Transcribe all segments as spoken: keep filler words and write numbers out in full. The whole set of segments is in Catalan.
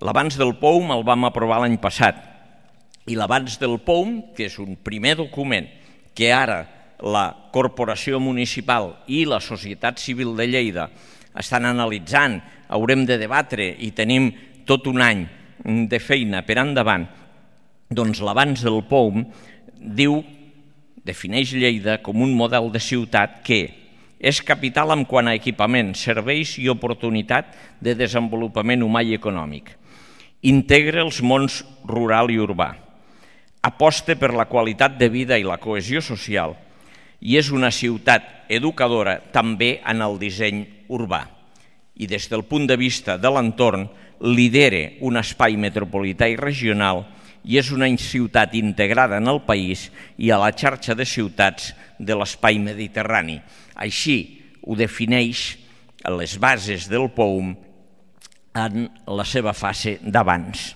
L'avanç del P O U M el vam aprovar l'any passat i l'avanç del P O U M, que és un primer document que ara la Corporació Municipal i la Societat Civil de Lleida estan analitzant, haurem de debatre i tenim tot un any de feina per endavant, doncs l'avanç del P O U M diu, defineix Lleida com un model de ciutat que és capital en quant a equipament, serveis i oportunitat de desenvolupament humà i econòmic. Integra els mons rural i urbà, aposta per la qualitat de vida i la cohesió social i és una ciutat educadora també en el disseny urbà. I des del punt de vista de l'entorn, lidera un espai metropolità i regional i és una ciutat integrada en el país i a la xarxa de ciutats de l'espai mediterrani. Així ho defineix les bases del P O U M en la seva fase d'abans.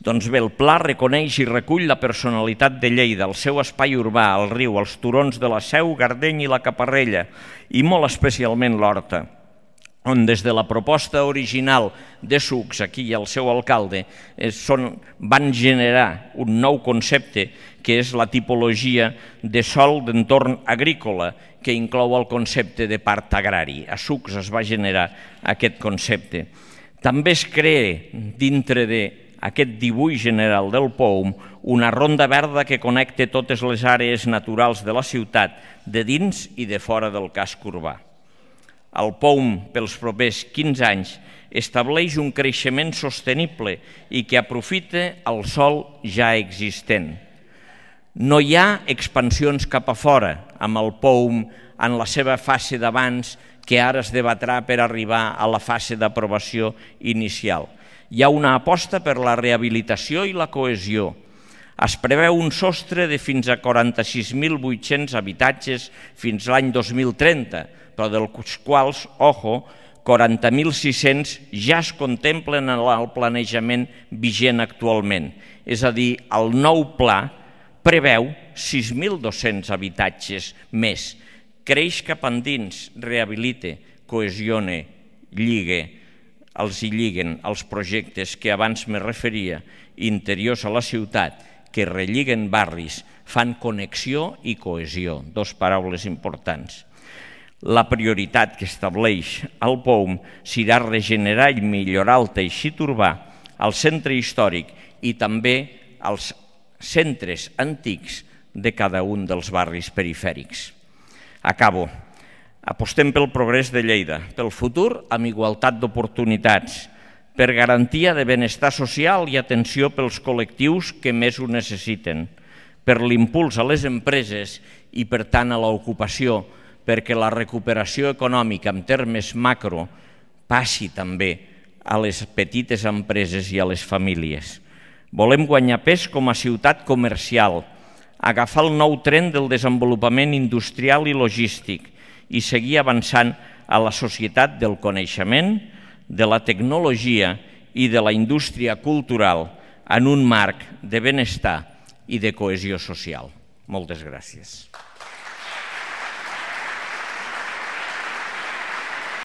Doncs bé, el pla reconeix i recull la personalitat de Lleida, el seu espai urbà, el riu, els turons de la Seu, Gardeny i la Caparrella, i molt especialment l'Horta, on des de la proposta original de Sucs, aquí i el seu alcalde, van generar un nou concepte que és la tipologia de sòl d'entorn agrícola, que inclou el concepte de part agrari. A Sucs es va generar aquest concepte. També es crea dintre d'aquest dibuix general del P O U M una ronda verda que connecta totes les àrees naturals de la ciutat, de dins i de fora del casc urbà. El P O U M, pels propers quinze anys, estableix un creixement sostenible i que aprofita el sòl ja existent. No hi ha expansions cap a fora amb el P O U M en la seva fase d'abans que ara es debatrà per arribar a la fase d'aprovació inicial. Hi ha una aposta per la rehabilitació i la cohesió. Es preveu un sostre de fins a quaranta-sis mil vuit-cents habitatges fins l'any dos mil trenta, però dels quals, ojo, quaranta mil sis-cents ja es contemplen en el planejament vigent actualment. És a dir, el nou pla preveu sis mil dos-cents habitatges més. Creix cap endins, rehabilita, cohesiona, lliga, els hi lliguen els projectes que abans me referia, interiors a la ciutat, que relliguen barris, fan connexió i cohesió, dos paraules importants. La prioritat que estableix el P O U M serà regenerar i millorar el teixit urbà, el centre històric i també els centres antics de cada un dels barris perifèrics. Acabo. Apostem pel progrés de Lleida, pel futur amb igualtat d'oportunitats, per garantia de benestar social i atenció pels col·lectius que més ho necessiten, per l'impuls a les empreses i, per tant, a l'ocupació, perquè la recuperació econòmica en termes macro passi també a les petites empreses i a les famílies. Volem guanyar pes com a ciutat comercial, agafar el nou tren del desenvolupament industrial i logístic i seguir avançant a la societat del coneixement, de la tecnologia i de la indústria cultural en un marc de benestar i de cohesió social. Moltes gràcies.